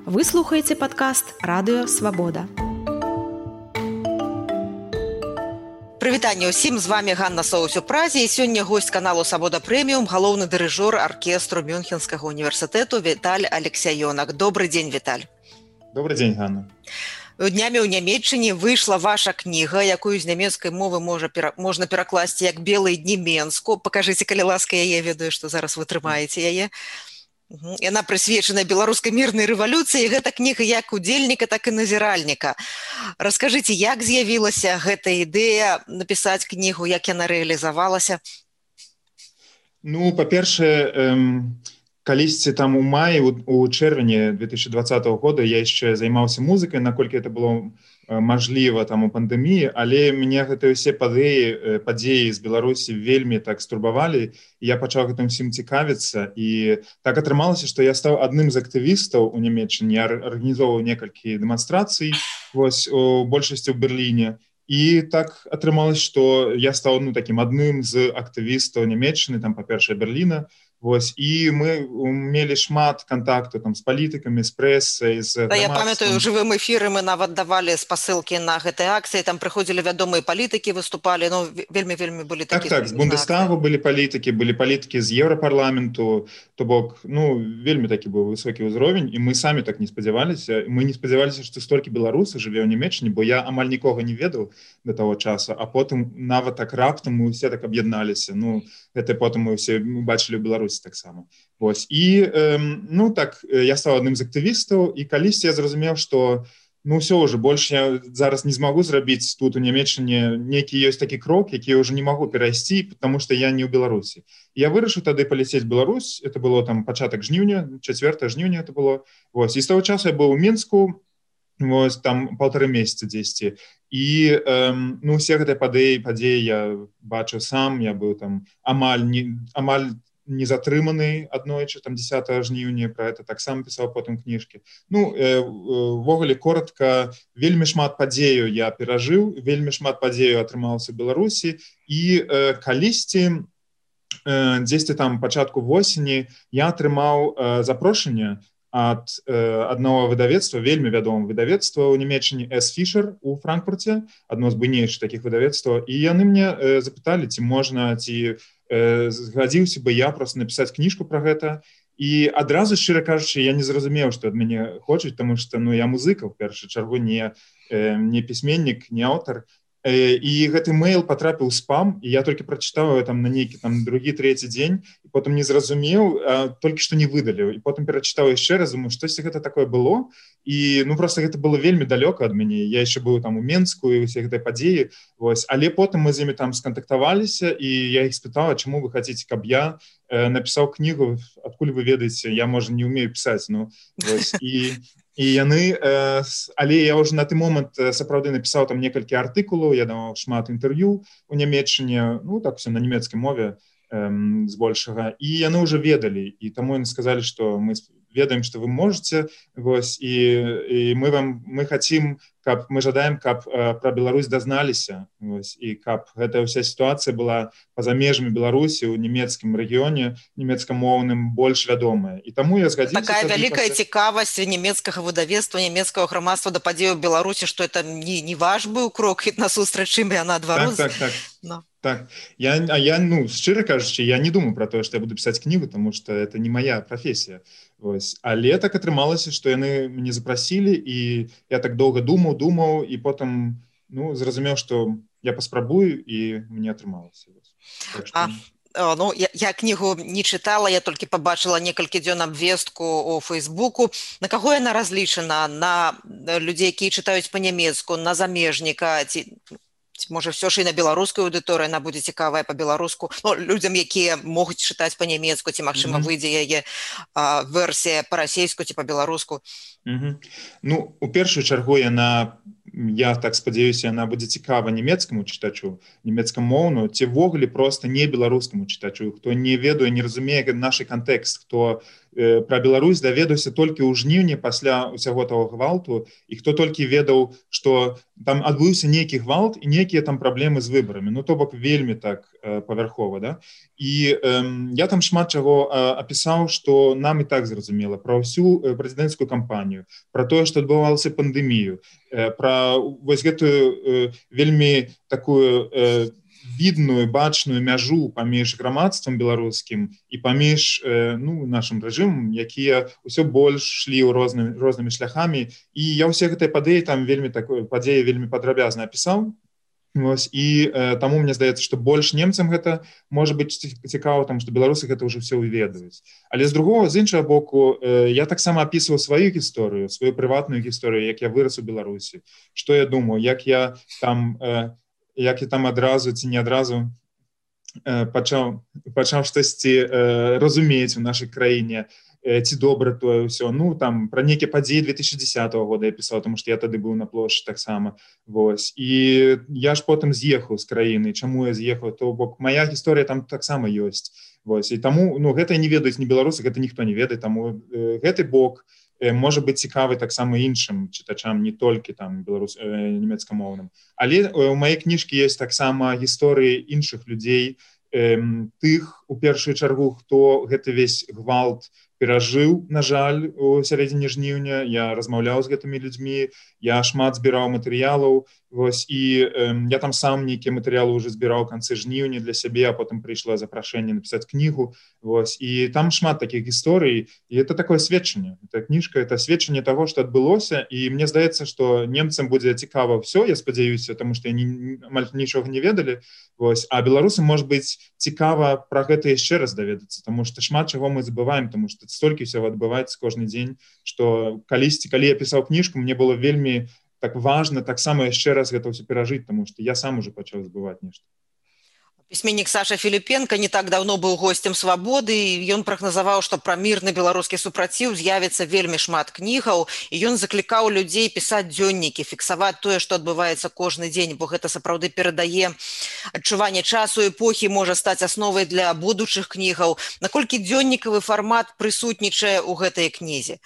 Вы слухаеце падкаст «Радыё Свабода». Прывітанне ўсім, з вами Ганна Соус у Празе, і сёння госць каналу «Свабода Прэміум», галоўны дырыжор аркестру Мюнхенскага універсітэту Віталь Алексяёнак. Добрый дзень, Віталь. Добрый дзень, Ганна. Днямі ў Нямецчыне выйшла ваша кніга, якую з нямецкай мовы можна перакласці як «Белыя дні Менску». Пакажыце, калі ласка, яе, ведаю, што зараз вы трымаеце яе. Яна прысвечана беларускай мірнай рэвалюцыі, гэта кніга як удзельніка, так і назіральніка. Раскажыце, як з'явілася гэта ідэя напісаць кнігу, як яна рэалізавалася? Ну, па-першае, калісьці там у маі, у чэрвені 2020 года я яшчэ займаўся музыкай, наколькі это было мажліва там у пандэміі, але мне гэтыя ўсе падзеі з Беларусі вельмі так стурбавалі, і я пачаў гэтым усім цікавіцца, і так атрымалася, што я стаў адным з актывістаў у Нямецчыне, я арганізоўваў некалькі дэманстрацый, вось, у большасці ў Берліне, і так атрымалася, што я стаў такім адным з актывістаў Нямецчыны, там, па-першае, Берліна. Вось, і мы мелі шмат кантактаў там з палітыкамі, з прэсай, з грамадствам. Я памятаю, у жывым эфіры мы нават давалі спасылкі на гэтыя акцыі, там прыходзілі вядомыя палітыкі, выступалі, ну, вельмі былі такія. Так, з Бундестагу былі палітыкі з Еўрапарламенту, то бок, ну, вельмі такі быў высокі ўзровень, і мы самі так не спадзяваліся. Мы не спадзяваліся, што столькі беларусаў жыве ў Нямецчыне, бо я амаль нікога не ведаў да таго часу, а потым нават так раптам мы ўсе так аб'ядналіся. Ну, гэта потым мы ўсе бачылі ў Беларусі таксама. Вось. І, ну, так, я стаў адным з актывістаў, і калісьці я зразумеў, што, ну, ўсё ўжо, больш я зараз не змагу зрабіць тут у Нямецчыне нейкі ёсць такі крок, які я ўжо не магу перайсці, потому што я не ў Беларусі. І я вырашыў тады паляцець в Беларусь, это было там пачатак жніўня, 4 жніўня это было. Вось. І з таго часу я быў у Мінску, вось, там 1,5 месяца дзесьці. І, ну, усе гэтыя падзеі я бачыў сам, я быў там амаль не затрыманы аднойчы, там 10 жніўня, пра гэта таксама пісаў потым кніжкі. Ну, ввогуле, коротка, вельмі шмат падзеяў я перажыў, вельмі шмат падзеяў атрымалася ў Беларусі, і калісьці, дзесьці там пачатку восені, я атрымаў запрошанне ад аднаго выдавецтва, вельмі вядомага выдавецтва ў Нямецчыне, С. Фішер у Франкфурце, адно з буйнейшых такіх выдавецтваў, і яны мне запыталі, ці можна, ці згадзіўся бы я проста напісаць кніжку пра гэта. І адразу, шчыра кажучы, я не зразумеў, што ад мяне хочуць, таму што, ну, я музыка, ў першую чаргу, не пісьменнік, не аўтар. І гэты мэйл патрапіў у спам, і я толькі прачытаў там на нейкі там другі, трэці дзень, і потым не зразумеў, толькі што не выдаліў. І потым перачытаў яшчэ раз, думаю, штосьці гэта такое было, і, ну, проста гэта было вельмі далёка ад мяне. Я яшчэ быў там у Менску, і ўсе гэтыя падзеі, вось. Але потым мы з імі там скантактаваліся, і я іх спытаў, чаму вы хацеце, каб я напісаў кнігу, адкуль вы ведаеце, я, можа, не ўмею пісаць, ну, вось. І яны, але я ўжо на той момант сапраўды напісаў там некалькі артыкулаў, я даваў шмат інтэрв'ю у Нямецчыне, ну, так, все на нямецкай мове збольшага, і яны ўжо ведалі, і таму яны сказалі, што мы ведаем, што вы можаце, вось, і мы хацім, каб, мы жадаем, каб пра Беларусь дазналіся, вось, і каб гэтая ўся сітуацыя была па-за межамі Беларусі, у нямецкім рэгіёне, нямецкамоўным, больш вядомая. І таму я згадзіўся... Такая вялікая цікавасць нямецкага выдавецтва, нямецкага грамадства да падзеяў Беларусі, што это не ваш быў крок насустрач ім, а наадварот. Так. Так, я, ну, шчыра кажучы, я не думаю пра тое, што я буду пісаць кнігу, таму што это не мая прафесія. Вось. Але так атрымалася, што яны мяне запрасілі, і я так доўга думаў, і потым, ну, зразумеў, што я паспрабую, і мне атрымалася. Так што... Ну, я кнігу не чытала, я толькі пабачыла некалькі дзён абвестку у Фейсбуку. На каго яна разлічана? На людзей, якія чытаюць па-нямецку, на замежніка, ці можа, ўсё ж і на беларускую аўдыторыю яна будзе цікавая па-беларуску, ну, людзям, якія могуць чытаць па-нямецку, ці, магчыма, выйдзе яе версія па-расейску ці па-беларуску. Ну, у першую чаргу я так спадзяюся, яна будзе цікава нямецкаму чытачу, нямецкамоўну, ці ввогуле проста не беларускаму чытачу, хто не ведае, не разумее наш кантэкст, хто пра Беларусь даведаўся толькі ў жніўні пасля ўсяго таго гвалту, і хто толькі ведаў, што там адбыўся нейкі гвалт і нейкія там праблемы з выбарамі, ну то бок вельмі так павярхова, да? І я там шмат чаго апісаў, што нам і так зразумела пра ўсю прэзідэнцкую кампанію, пра тое, што адбывалася пандэмію, пра вось гэтую вельмі такую відную, бачную мяжу паміж грамадствам беларускім і паміж нашым рэжымам, якія ўсё больш шлі рознымі шляхамі. І я ўсе гэтыя падзеі там падзеі вельмі падрабязна апісаў. Вось, і таму мне здаецца, што больш немцам гэта можа быць цікава, таму што беларусы гэта ўжо ўсё ведаюць. Але з іншага боку, я таксама апісваў сваю гісторыю, сваю прыватную гісторыю, як я вырас у Беларусі, што я думаю, як я там адразу ці не адразу пачаў штосьці разумець у нашай краіне, ці добра тое ўсё. Ну, там, пра нейкія падзеі 2010 года я пісаў, тому што я тады быў на плошчы таксама. Вось. І я ж потым з'ехаў з краіны. Чаму я з'ехаў? То бок мая гісторыя там таксама ёсць. Вось. І таму, гэта не ведаюць ні беларусы, гэта ніхто не ведае, таму гэты бок можа быць цікавы таксама іншым чытачам, не толькі там нямецкамоўным. Але у маёй кніжкі ёсць таксама гісторыі іншых людзей, тых, у першую чаргу, хто гэты весь гвалт перажыў, на жаль, у сярэдзіне жніўня. Я размаўляў з гэтымі людзьмі, я шмат збіраў матэрыялаў, вось, і я там сам нейкія матэрыялы ўжо збіраў у канцы жніўня для сябе, а потым прыйшло запрашэнне напісаць кнігу, вось, і там шмат такіх гісторый, і это такое сведчанне. Эта кніжка, это сведчанне таго, што адбылося, і мне здаецца, што немцам будзе цікава ўсё, я спадзяюся, таму што яны амаль нічога не ведалі, вось, а беларусам, можа быць, цікава пра гэта яшчэ раз даведацца, таму што шмат чаго мы забываем, таму што столькі ўсяго адбываецца кожны дзень, што калі я пісаў кніжку, мне было вельмі так важна таксама яшчэ раз гэта ўсё перажыць, таму што я сам уже пачаў забываць нешта. Пісьменнік Саша Філіпенка не так даўно быў госцем «Свабоды», і ён прагназаваў, што пра мірны беларускі супраціў з'явіцца вельмі шмат кнігаў, і ён заклікаў людзей пісаць дзённікі, фіксаваць тое, што адбываецца кожны дзень, бо гэта сапраўды перадае адчуванне часу, эпохі, можа стаць асновай для будучых кнігаў. Наколькі дзённікавы фармат прысутнічае ў гэтай кнізе?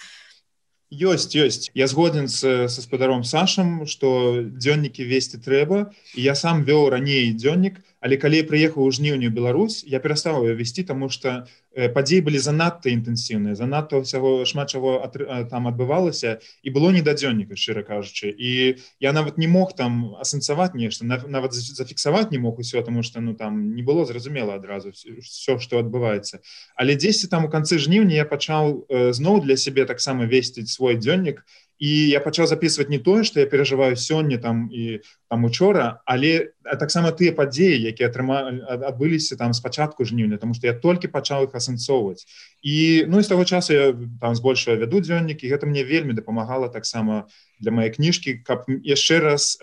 Ёсць. Я згоден са спадаром Сашам, што дзённікі весці трэба, і я сам вёў раней дзённік, але калі я прыехаў у жніўні ў Беларусь, я перастаў яго весці, таму што падзеі былі занадта інтэнсіўныя, занадта ўсяго шмат чаго там адбывалася, і было не да дзённіка, шчыра кажучы. І я нават не мог там асэнсаваць нешта, нават зафіксаваць не мог усё, таму што там не было зразумела адразу ўсё, што адбываецца. Але дзесьці там у канцы жніўня я пачаў зноў для сябе таксама весці свой дзённік, і я пачаў запісваць не тое, што я перажываю сёння там і там учора, але таксама тыя падзеі, якія адбыліся там з пачатку жніўня, таму што я толькі пачаў іх асэнсоўваць. І з таго часу я там збольшага вяду дзённік, і гэта мне вельмі дапамагала таксама для маёй кніжкі, каб яшчэ раз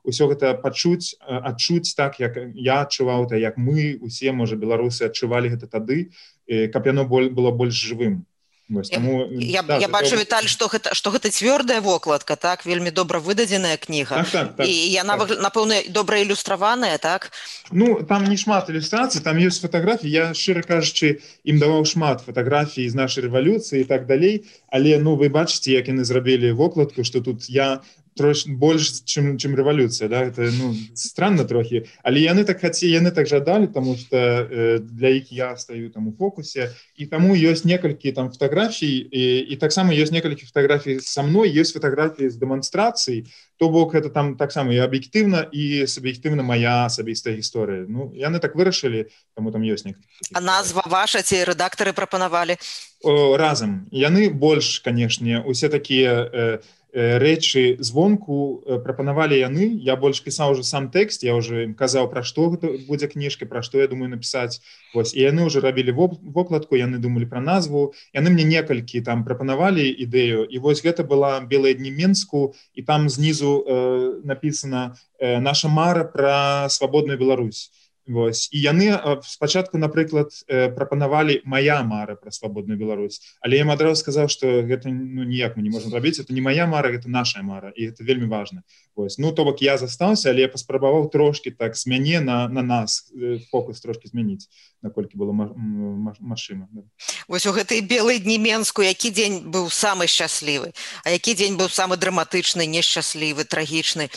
усё гэта адчуць так, як я адчуваў, як мы усе, можа, беларусы адчувалі гэта тады, каб яно было больш жывым. Я бачу, Віталь, што гэта цвёрдая вокладка, так, вельмі добра выдадзеная кніга. Так. І яна, напэўна, добра ілюстраваная, так? Ну, там не шмат ілюстрацый, там ёсць фатаграфіі. Я, шчыра кажучы, ім даваў шмат фатаграфій з нашай рэвалюцыі і так далей, але, вы бачыце, як яны зрабілі вокладку, што тут я трошки больш, чым рэвалюцыя, да? Это, странна трохі, але яны так жадалі, таму што для іх я стаю там у фокусе, і таму ёсць некалькі там фатаграфій, і таксама ёсць некалькі фатаграфій са мной, ёсць фатаграфіі з дэманстрацый, то бок гэта там таксама і аб'ектыўна, і суб'ектыўна мая асабістая гісторыя. Яны так вырашылі, таму там ёсць некалькі. А назва ваша ці рэдактары прапанавалі? Разам. Яны больш, канешне, усе такія рэчы звонку прапанавалі яны. Я больш пісаў уже сам тэкст, я уже ім казаў, пра што гэта будзе кніжка, пра што я думаю напісаць. Вось, і яны ўжо рабілі вокладку, яны думалі пра назву, яны мне некалькі там прапанавалі ідэю, і вось гэта была «Белыя дні Менску», і там знізу напісана «Наша мара пра свабодную Беларусь». Вось. І яны спачатку, напрыклад, прапанавалі «Моя мара» пра свабодную Беларусь, але я ім адразу сказаў, што гэта ніяк мы не можам рабіць, это не моя мара, гэта наша мара, і гэта вельмі важна. Вось. Ну, то бок я застаўся, але я паспрабаваў трошкі так з мяне на нас фокус трошкі змяніць, наколькі было магчыма. Вось у гэтай белыя дні Менску які дзень быў самы шчаслівы, а які дзень быў самы драматычны, нешчаслівы, трагічны?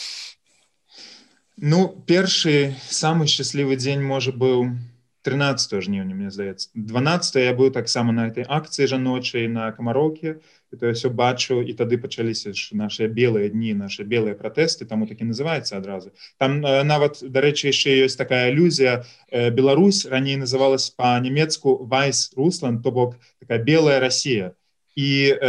Ну, першы самы шчаслівы дзень можа быў 13 жніўня, мне здаецца. 12 я быў таксама на этой акцыі жаночай на Камароўкі, і то я ўсё бачыў, і тады пачаліся нашыя белыя дні, нашы белыя пратэсты, таму так і называецца адразу. Там нават, дарэчы, яшчэ ёсць такая алюзія. Беларусь раней называлась па-нямецку Weiß Russland, то бок такая белая Расія. І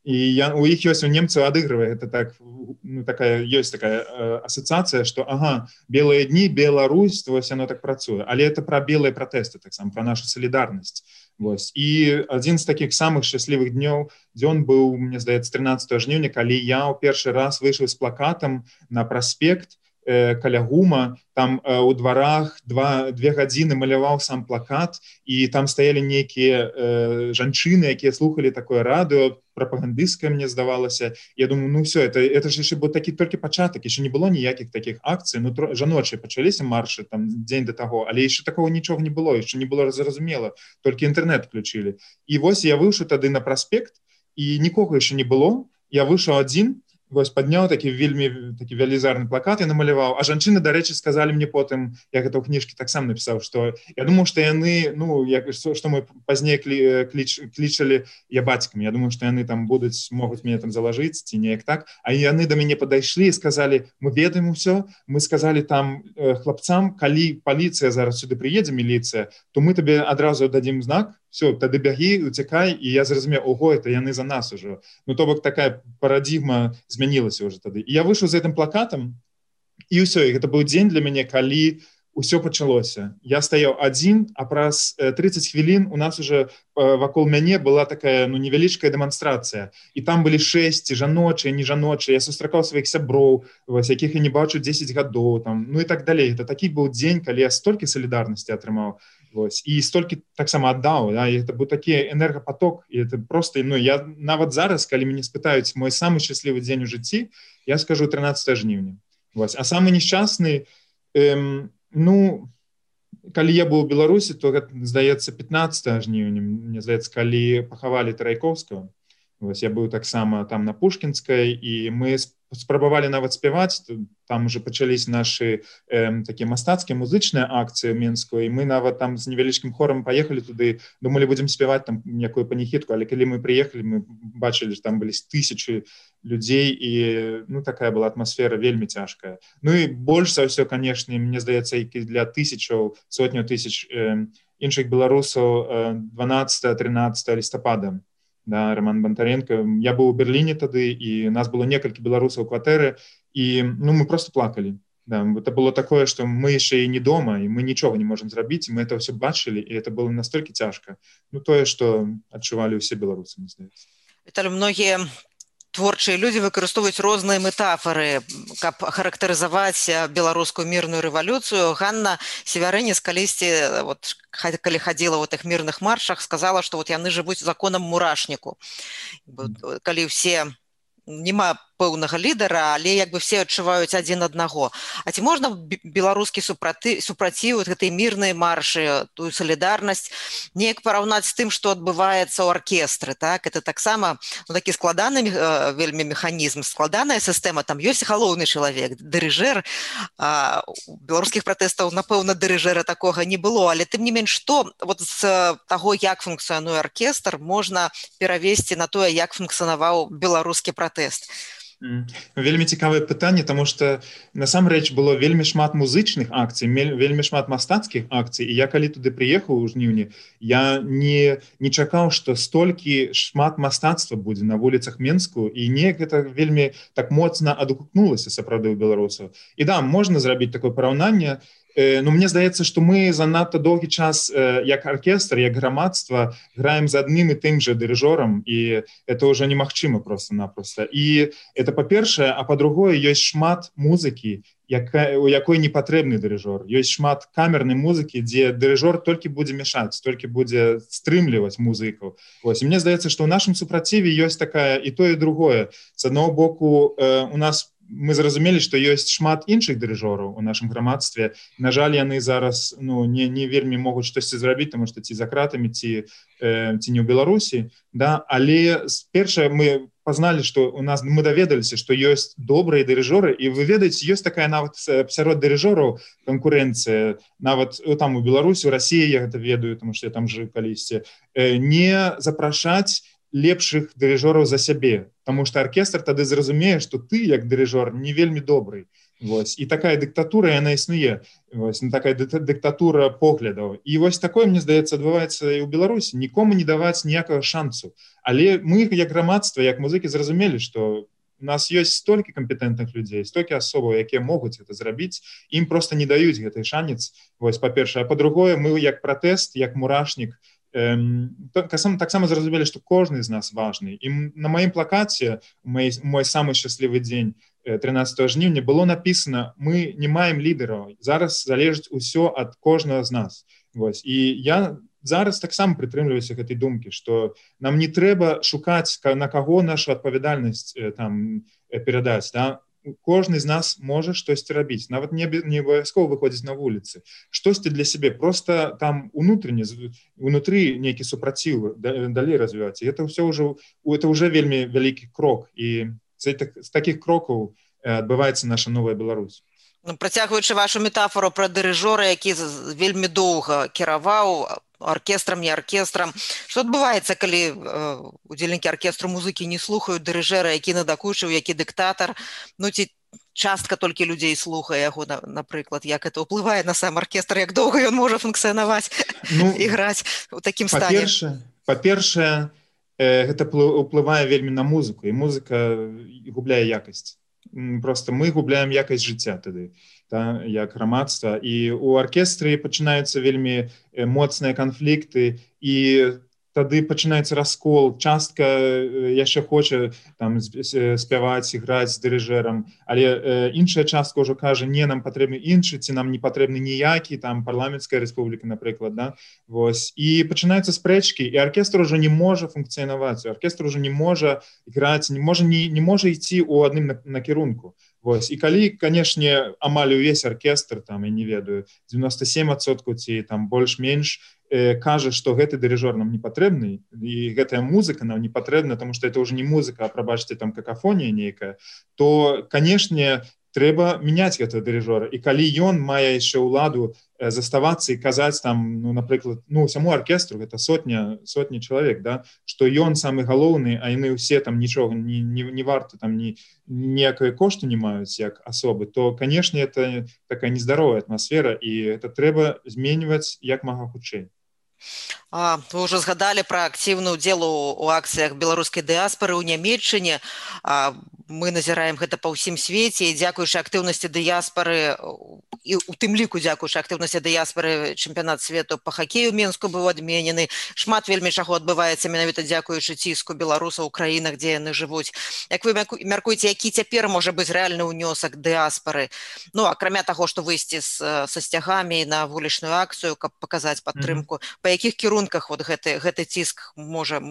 у іх ёсць, у немцаў адыгрывае, это так, ну, такая, ёсць такая асацыяцыя, што, ага, белыя дні, Беларусь, вось яно так працуе. Але это пра белыя пратэсты, таксама, пра нашу салідарнасць. Вось. І адзін з такіх самых шчаслівых дзён быў, мне здаецца, 13 жніўня, калі я ў першы раз выйшаў з плакатам на праспект каля ГУМа, там у дварах 2 гадзіны маляваў сам плакат, і там стаялі нейкія жанчыны, якія слухалі такое радыё, прапагандысцкае, мне здавалася. Я думаю, ну все, это ж яшчэ быў такі толькі пачатак, яшчэ не было ніякіх такіх акцый, ну жаночыя пачаліся маршы там дзень да таго, але яшчэ такого нічога не было, яшчэ не было зразумела, толькі інтэрнэт включылі. І вось я выйшаў тады на праспект, і нікога яшчэ не было, я выйшаў адзін, вось падняў такі вельмі такі велізарны плакат, я намаляваў, а жанчыны, дарэчы, сказалі мне потым, я гэта ў кніжкі таксама напісаў, што я думаю, што яны, ну, што мы пазней клічалі я бацькамі, я думаю, што яны там могуць мяне там залажыць, ці неяк так, а яны да мяне падайшлі і сказалі, мы ведаем усё, мы сказалі там хлапцам, калі паліцыя зараз сюды прыедзе, міліцыя, то мы табе адразу дадзім знак, все, тады бягі, уцякай, і я зразумеў, ого, это яны за нас ужо. Ну, то бок такая парадыгма змянілася ўжо тады. І я выйшаў з гэтым плакатам, і ўсё, і гэта быў дзень для мяне, калі ўсё пачалося. Я стаяў адзін, а праз 30 хвілін у нас уже вакол мяне была такая, ну, невялічкая дэманстрацыя. І там былі 6 жаночыя, не жаночыя. Я сустракаў сваіх сяброў, якіх я не бачу 10 гадоў, там, ну і так далей. Это такі быў дзень, калі я столькі салідарнасці атрымаў. Вось. І столькі таксама аддаў, да? І это быў такі энергапаток, і это просто, ну, я нават зараз, калі мяне спытаюць мой самы шчаслівы дзень у жыцці, я скажу 13 жніўня. Вось. А самы несчастны, ну, калі я быў у Беларусі, то гэта, здаецца, 15 жніўня, мне здаецца, калі пахавалі Трайкоўскага. Вось, я быў таксама там на Пушкінскай, і мы спрабавалі нават спяваць, там уже пачаліся нашы такія мастацкія музычныя акцыі ў Менску, і мы нават там з невялічкім хорам паехалі туды, думалі, будзем спяваць там някую паніхідку, але калі мы прыехалі, мы бачылі, што там былі 1000 людзей, і, ну, такая была атмасфера вельмі цяжкая. Ну і больш за ўсё, канешне, мне здаецца, і для сотняў тысяч іншых беларусаў 12-13 лістапада. Да, Роман Бондаренко. Я быў у Берліне тады, і нас было некалькі беларусаў у кватэры, і, ну, мы просто плакалі. Да, это было такое, што мы яшчэ і не дома, і мы нічога не можам зрабіць, і мы это ўсё бачылі, і это было настолькі цяжка. Ну, тое, што адчувалі ўсе беларусы, мне здаецца. Віталій, многія творчыя людзі выкарыстоўваюць розныя метафоры, каб характарызаваць беларускую мірную рэвалюцыю. Ганна Севярынец калісьці, вот, калі хадзіла ў тых мірных маршах, сказала, што вот яны жывуць законам мурашніку. Калі ўсе няма пэўнага лідара, але як бы все адчуваюць адзін аднаго. А ці можна беларускі супраціў гэтай мірнай маршы, тую салідарнасць неяк параўнаць з тым, што адбываецца ў аркестры, так? Это таксама, ну, такі складаны вельмі механізм, складаная сістэма, там ёсць галоўны чалавек, дырыжэр. У беларускіх пратэстаў, напэўна, дырыжэра такога не было, але тым не менш, што вот з таго, як функцыянуе аркестр, можна перавесці на тое, як функцыянаваў беларускі пратэст. Вельмі цікавае пытанне, таму што насамрэч было вельмі шмат музычных акцый, вельмі шмат мастацкіх акцый, і я калі туды прыехаў у жніўні, я не чакаў, што столькі шмат мастацтва будзе на вуліцах Менску, і неяк гэта вельмі так моцна адгукнулася сапраўды ў беларусаў. І да, можна зрабіць такое параўнанне. ну, мне здаецца, што мы занадта доўгі час як аркестр, як грамадства граем з адным і тым жа дырыжорам, і это ўжо немагчыма проста-напроста. І это па-першае, а па-другое, ёсць шмат музыкі, у якой не патрэбны дырыжор. Ёсць шмат камернай музыкі, дзе дырыжор толькі будзе мешаць, толькі будзе стрымліваць музыкаў. Вось. І мне здаецца, што ў нашым супраціве ёсць такая і тое, і другое. З аднаго боку, у нас мы зразумелі, што ёсць шмат іншых дырыжораў у нашым грамадстве. На жаль, яны зараз не вельмі могуць штосьці зрабіць, таму што ці за кратамі, ці не ў Беларусі. Да? Але першае мы пазналі, што у нас мы даведаліся, што ёсць добрыя дырыжоры, і вы ведаеце, ёсць такая нават сярод дырыжораў канкурэнцыя, нават там у Беларусі, у Расіі я гэта ведаю, таму што я там жыў калісьці, не запрашаць лепшых дырыжораў за сябе, таму што аркестр тады зразумее, што ты, як дырыжор, не вельмі добрый. Вось. І такая дыктатура, яна існуе. Вось. Такая дыктатура поглядаў. І вось такое, мне здаецца, адбываецца і ў Беларусі. Нікому не даваць ніякага шансу. Але мы, як грамадства, як музыкі, зразумелі, што у нас ёсць столькі кампетэнтных людзей, столькі асобаў, якія могуць гэта зрабіць, ім проста не даюць гэты шанец. Вось, па-першае. А па-другое, мы як пратэст, як мурашнік, таксама зразумелі, што кожны з нас важны. І на маім плакаце, мой самы шчаслівы дзень, 13 жніўня, было напісана: мы не маем лідараў, зараз залежыць усё ад кожнага з нас. Вось. І я зараз таксама прытрымліваюся гэтай думкі, што нам не трэба шукаць, на каго нашу адпавядальнасць там перадаць. Да? Кожны з нас можа штосьці рабіць, нават не абавязкова выходзіць на вуліцы. Штосьці для сябе, проста там унутры нейкі супраціў далей развіваць. І это ўжо вельмі вялікі крок. І з такіх крокаў адбываецца наша новая Беларусь. Працягваючы вашу метафору пра дырыжора, які вельмі доўга кіраваў аркестрам, не аркестрам. Што адбываецца, калі удзельнікі аркестру музыкі не слухаюць дырыжэра, які надакучыў, які дыктатар, ці частка толькі людзей слухае яго, напрыклад, як это ўплывае на сам аркестр, як доўга ён можа функцыянаваць і граць у такім стане? Па-першае, гэта ўплывае вельмі на музыку, і музыка губляе якасць. Просто мы губляем якасць жыцця тады, як грамадства. І ў аркестры пачынаюцца вельмі моцныя канфлікты, і тады пачынаецца раскол. Частка яшчэ хоча там спяваць і граць з дырыжэрам, але іншая частка ўжо кажа: не, нам патрэбны іншы, ці нам не патрэбны ніякі, там парламенцкая рэспубліка, напрыклад. Да? Вось. І пачынаюцца спрэчкі, і аркестр ужо не можа функцыянаваць, аркестр ужо не можа граць, не можа ісці ў адным накірунку. Вось. І калі, канешне, амаль увесь аркестр, там, я не ведаю, 97% ці там больш-менш, кажа, што гэты дырыжор нам не патрэбны, і гэтая музыка нам не патрэбна, таму што это ўжо не музыка, а, прабачце, там какафонія нейкая, то, канешне, трэба мяняць гэтага дырыжора. І калі ён мае яшчэ ўладу заставацца і казаць там, напрыклад, усяму аркестру, гэта сотні чалавек, да, што ён самы галоўны, а яны ўсе там нічога не варта, там ніякай кошту не маюць як асобы, то, канешне, это такая нездаровая атмасфера, і это трэба зменьваць як мага хутчэй. Вы ўжо згадалі пра актыўны ўдзел у акцыях беларускай дыяспары ў Нямецчыне. Мы назіраем гэта па ўсім свеце, і дзякуючы актыўнасці дыяспары, і у тым ліку дзякуючы актыўнасці дыяспары, чэмпіянат свету па хакею ў Менску быў адменены. Шмат вельмі чаго адбываецца менавіта дзякуючы ціску беларусаў у краінах, дзе яны жывуць. Як вы мяркуеце, які цяпер можа быць рэальны ўнёсак дыяспары? Акрамя таго, што выйсці са сцягамі на вулічную акцыю, каб паказаць падтрымку, па якіх кірунках гэты ціск можа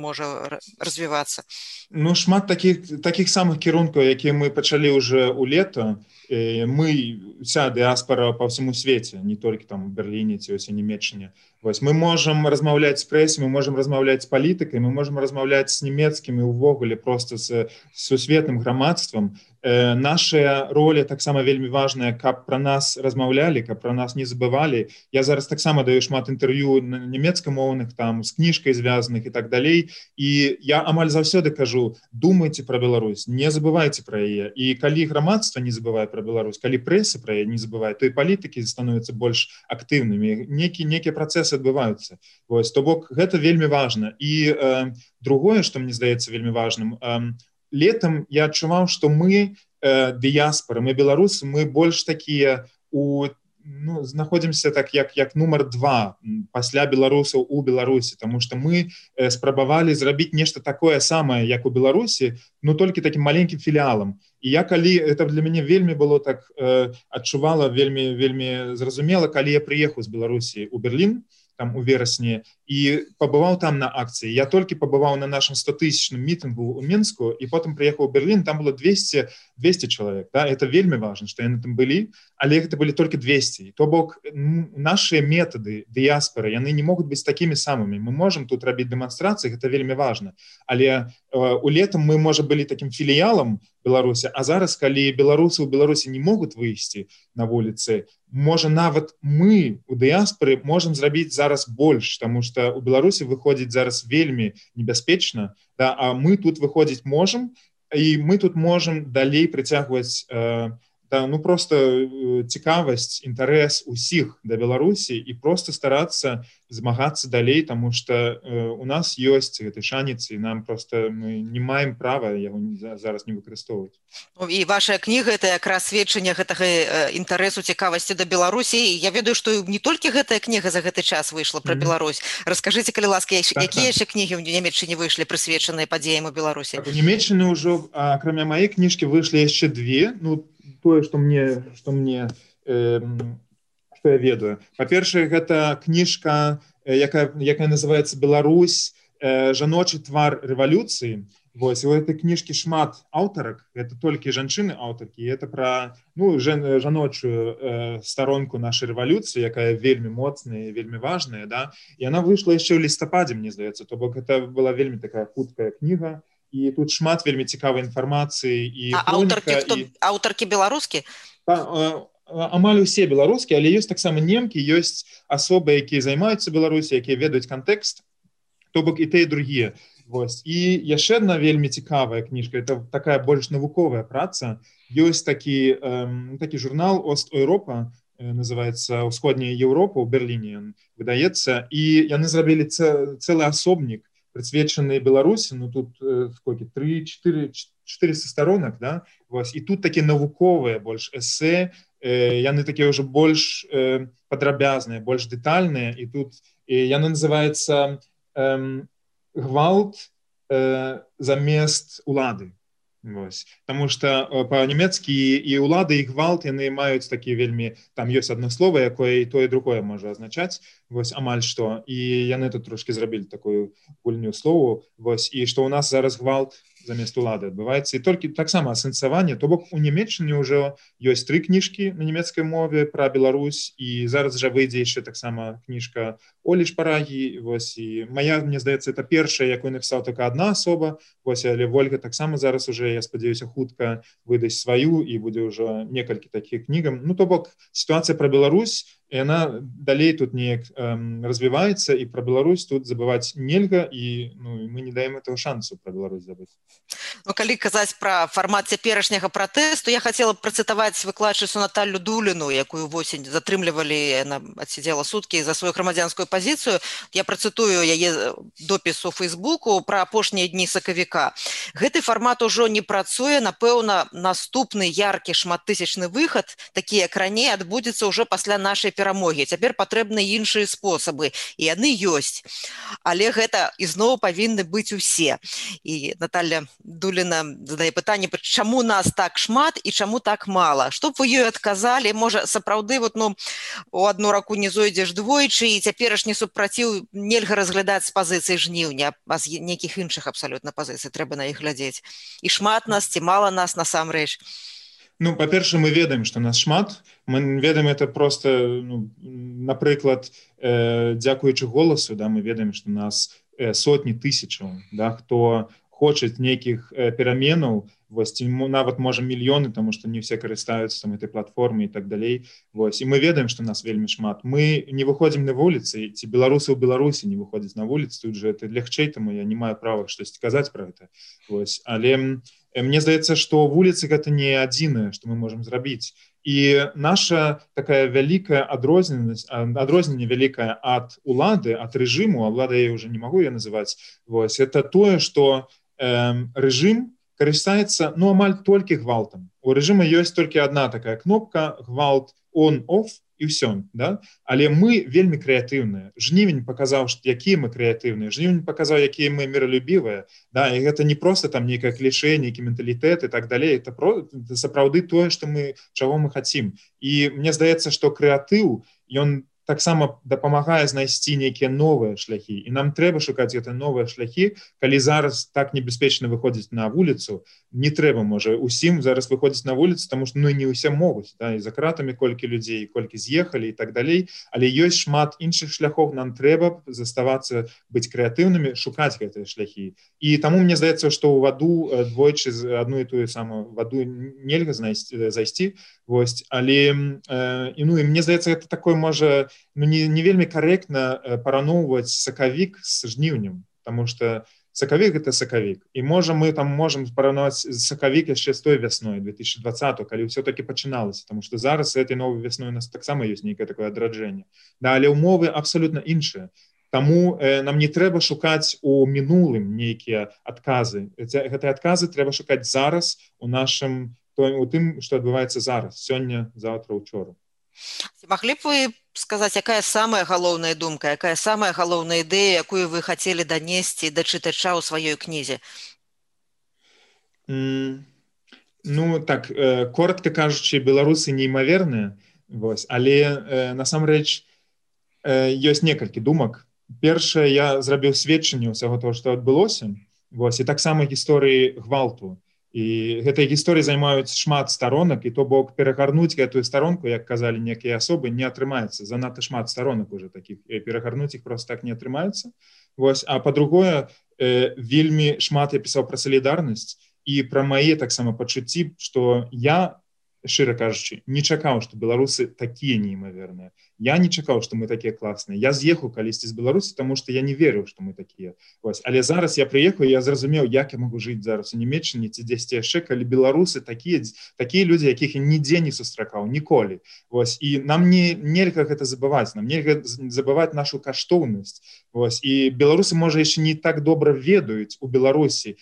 развівацца? Шмат такіх самых кірункаў, якія мы пачалі ўжо ў лета. Мы, вся дыяспара па ўсяму свеце, не толькі там у Берліне ці ў Нямецчыне. Вось, мы можам размаўляць з прэсай, мы можам размаўляць з палітыкай, мы можам размаўляць з нямецкім і ўвогуле проста з сусветным грамадствам. Наша роля таксама вельмі важная, каб пра нас размаўлялі, каб пра нас не забывалі. Я зараз таксама даю шмат інтэрв'ю нямецкамоўных, там, з кніжкай звязаных і так далей. І я амаль заўсёды кажу: думайце пра Беларусь, не забывайце пра яе. І калі грамадства не забывае пра Беларусь, калі прэса пра яе не забывае, то і палітыкі становяцца больш актыўнымі, нейкія працэсы адбываюцца. Вось, то бок гэта вельмі важна. І другое, што мне здаецца вельмі важным, летом я адчуваў, што мы дыяспары, мы беларусы, мы больш такія знаходзімся так як нумар 2 пасля беларусаў у Беларусі, тому што мы спрабавалі зрабіць нешта такое самае, як у Беларусі, но толькі такім маленькім філіалам. І я калі, это для мяне вельмі было так, адчувала вельмі зразумела, калі я прыехаў з Беларусі у Берлін, там у верасні, і пабываў там на акцыі. Я толькі пабываў на нашым 100-тысячным мітынгу ў Мінску, і потым прыехаў у Берлін, там было 200 чалавек. Да? Это вельмі важна, што яны там былі, але гэта былі толькі 200. То бок, нашыя метады дыяспоры, яны не могуць быць такімі самымі. Мы можам тут рабіць дэманстрацыі, гэта вельмі важна. Але у летам мы, можа, былі такім філіялам Беларусі, а зараз, калі беларусы ў Беларусі не могуць выйсці на вуліцы, можа, нават мы у дыяспоры можам зрабіць зараз больш, таму што у Беларусі выходзіць зараз вельмі небяспечна, да, а мы тут выходзіць можам, і мы тут можам далей прыцягваць просто цікавасць, інтарэс усіх да Беларусі і просто старацца змагацца далей, таму што у нас ёсць гэты шанец, і нам просто мы не маем права яго зараз не выкарыстоўваць. І ваша кніга это якраз сведчанне гэтага інтарэсу, цікавасці да Беларусі. Я ведаю, што не толькі гэтая кніга за гэты час выйшла пра Беларусь. Раскажыце, калі ласка, якія яшчэ кнігі ў Нямецчыне выйшлі, прысвечаныя падзеям у Беларусі? У Нямецчыне ўжо, акрамя маёй кніжкі, выйшлі яшчэ 2. Тое, што я ведаю. Па-першае, гэта кніжка, якая называецца «Беларусь. Жаночы твар рэвалюцыі». Вось, у гэтай кніжкі шмат аўтарак, гэта толькі жанчыны-аўтаркі, і гэта пра жаночую старонку нашай рэвалюцыі, якая вельмі моцная і вельмі важная, да? І яна выйшла яшчэ ў лістападзе, мне здаецца, то бок гэта была вельмі такая хуткая кніга, і тут шмат вельмі цікавай інфармацыі і хроніка. Аўтаркі беларускі? Амаль усе беларускія, але ёсць таксама немкі, ёсць асобы, якія займаюцца Беларусі, якія ведаюць кантэкст, то бок і тыя, і другія. Вось. І яшчэ адна вельмі цікавая кніжка, это такая больш навуковая праца. Ёсць такі журнал «Ост-Еўропа», называецца «Усходняя Еўропа», у Берліне выдаецца, і яны зрабілі цэлы асобнік, прысвечаны Беларусі, тут сколько, 3-400 сторонок, да? Вось. І тут такія навуковыя больш эсэ, яны такія ўжо больш падрабязныя, больш дэтальныя, і тут яны называецца «Гвалт замест улады». Вось. Таму што па-нямецкі і ўлады, і гвалт, яны маюць такі вельмі, там ёсць адно слова, якое і тое, і другое можа азначаць, вось, амаль што, і яны тут трошкі зрабілі такую гульню слову, вось, і што ў нас зараз гвалт замест улады адбываецца, і толькі таксама асэнсаванне, то бок у Нямецчыне ўжо ёсць 3 кніжкі на нямецкай мове пра Беларусь, і зараз жа выйдзе яшчэ таксама кніжка Олі Шпарагі, вось, і мая, мне здаецца, это першая, якую напісала толькі адна асоба, вось, але Вольга таксама зараз уже, я спадзяюся, хутка выдасць сваю, і будзе ўжо некалькі такіх кнігам. То бок, сітуацыя пра Беларусь, яна далей тут неяк развіваецца, і пра Беларусь тут забываць нельга, і мы не даем этого шансу пра Беларусь забыць. Калі казаць пра фармат цяперашняга пратэсту, я хацела працытаваць выкладчыцу Наталлю Дуліну, якую восень затрымлівалі, яна адсидзела суткі за сваю грамадзянскую пазіцыю. Я працытую яе допіс у Фейсбуку пра апошнія дні сакавіка. Гэты фармат ужо не працуе, напэўна, наступны яркі шматтысячны выхад, такі як раней, адбудзецца ўжо пасля нашай перамогі. Цяпер патрэбны іншыя спосабы, і яны ёсць. Але гэта ізноў павінны быць усе. І Наталля Дуліна задае пытанне, чаму нас так шмат і чаму так мала? Што б вы ёй адказалі? Можа, сапраўды, у адну раку не зойдзеш двойчы, і цяперашні супраціў нельга разглядаць з пазіцыі жніўня, а з нейкіх іншых абсалютна пазіцый трэба на іх глядзець. І шмат нас, ці мала нас насамрэч? Па-першае, мы ведаем, што нас шмат. Мы ведаем это просто, напрыклад, дзякуючы голасу, да, мы ведаем, што нас сотні тысячаў, да, хто хочуць нейкіх пераменаў, вось, нават, можа, мільёны, таму што не ўсе карыстаюцца там этой платформай і так далей. Вось. І мы ведаем, што нас вельмі шмат. Мы не выходзім на вуліцы, ці беларусы ў Беларусі не выходзяць на вуліцы, тут же это лягчэй, таму я не маю права штосьці казаць пра гэта. Вось. Але мне здаецца, што вуліцы гэта не адзінае, што мы можам зрабіць. І наша такая вялікая адрозненне вялікая ад улады, ад рэжыму, а ўлада я ўжо не магу я называць, вось, это тое, што рэжым карыстаецца, амаль толькі гвалтам. У рэжыма ёсць толькі адна такая кнопка, гвалт on-off, і ўсё, да? Але мы вельмі крэатыўныя. Жнівень паказаў, якія мы крэатыўныя, жнівень паказаў, якія мы міралюбівыя, да? І гэта не проста там нейкае клішэ, нейкі менталітэт і так далей, это сапраўды тое, чаго мы хацім. І мне здаецца, што крэатыў, ён таксама дапамагае знайсці нейкія новыя шляхі. І нам трэба шукаць гэтыя новыя шляхі, калі зараз так небяспечна выходзіць на вуліцу, не трэба, можа, усім зараз выходзіць на вуліцу, таму што не ўсе могуць, да? І за кратамі колькі людзей, колькі з'ехалі і так далей, але ёсць шмат іншых шляхоў, нам трэба заставацца быць крэатыўнымі, шукаць гэтыя шляхі. І таму мне здаецца, што ў ваду двойчы адну і тую самую ваду нельга зайсці, вось, але і мне здаецца, гэта такое можа не вельмі карэктна параўноўваць сакавік з жніўнем, таму што сакавік гэта сакавік. І мы там можам параўнаваць сакавік яшчэ з той вясной 2020, калі ўсё-такі пачыналася, таму што зараз этой новай вясной у нас таксама ёсць нейкае такое адраджэнне. Да, але ўмовы абсалютна іншыя. Таму нам не трэба шукаць у мінулым нейкія адказы. Гэтыя адказы трэба шукаць зараз у тым, што адбываецца зараз, сёння, заўтра, учора. Маглі б вы сказаць, якая самая галоўная думка, якая самая галоўная ідэя, якую вы хацелі данесці да чытача ў сваёй кнізе? Так, коротка кажучы, беларусы неймаверныя, але насамрэч ёсць некалькі думак. Першае, я зрабіў сведчанне ўсяго того, што адбылося, і таксама гісторыі гвалту. І гэтай гісторыі займаюць шмат старонак, і то бок перагарнуць гэтую старонку, як казалі некія асобы, не атрымаецца. Занадта шмат старонак уже такіх, і перагарнуць іх проста так не атрымаецца. А па-другое, вельмі шмат я пісаў пра салідарнасць і пра мае таксама пачуцці, што я, шчыра кажучы, не чакаў, што беларусы такія неймаверныя. Я не чакаў, што мы такія класныя. Я з'ехаў калісьці з Беларусі, таму што я не верыў, што мы такія. Але зараз я прыехаў, і я зразумеў, як я магу жыць зараз у Нямеччыне ці дзесьці яшчэ, калі беларусы такія людзі, якіх я нідзе не сустракаў, ніколі. І нам нельга гэта забываць, нам нельга забываць нашу каштоўнасць. І беларусы, можа, яшчэ не так добра ведаюць у Беларусі,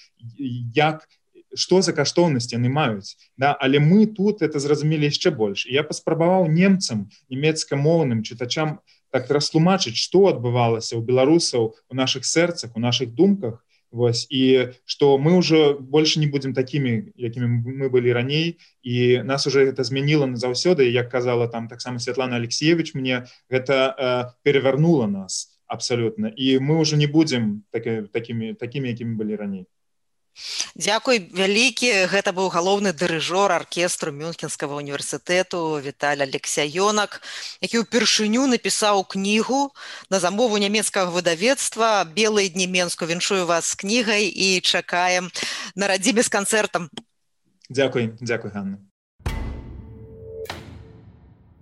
што за каштоўнасць яны маюць. Але мы тут это зразумелі яшчэ больш. І я паспрабаваў немцам, нямецкамоўным чытачам так растлумачыць, што адбывалася ў беларусаў у нашых сэрцах, у нашых думках, і што мы ўжо больш не будзем такімі, якімі мы былі раней, і нас уже гэта змяніла назаўсёды, як казала там таксама Святлана Алексеевич, мне гэта перавярнула нас абсалютна, і мы ўжо не будзем такімі, якімі былі раней. Дзякуй вялікі. Гэта быў галоўны дырыжор аркестру Мюнхенскага універсітэту Віталь Алексяёнак, які ўпершыню напісаў кнігу на замову нямецкага выдавецтва «Белыя дні Менску». Віншую вас з кнігай і чакаем на радзіме з канцэртам. Дзякуй, Ганна.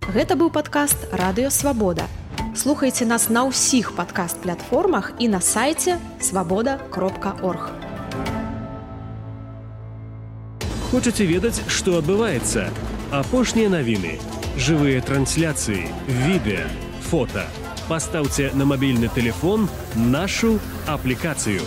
Гэта быў падкаст «Радыё Свабода». Слухайце нас на ўсіх падкаст-платформах і на сайце свабода.орг. Хочаце ведаць, што адбываецца? Апошнія навіны, жывыя трансляцыі, відэа, фота. Пастаўце на мабільны тэлефон нашу аплікацыю.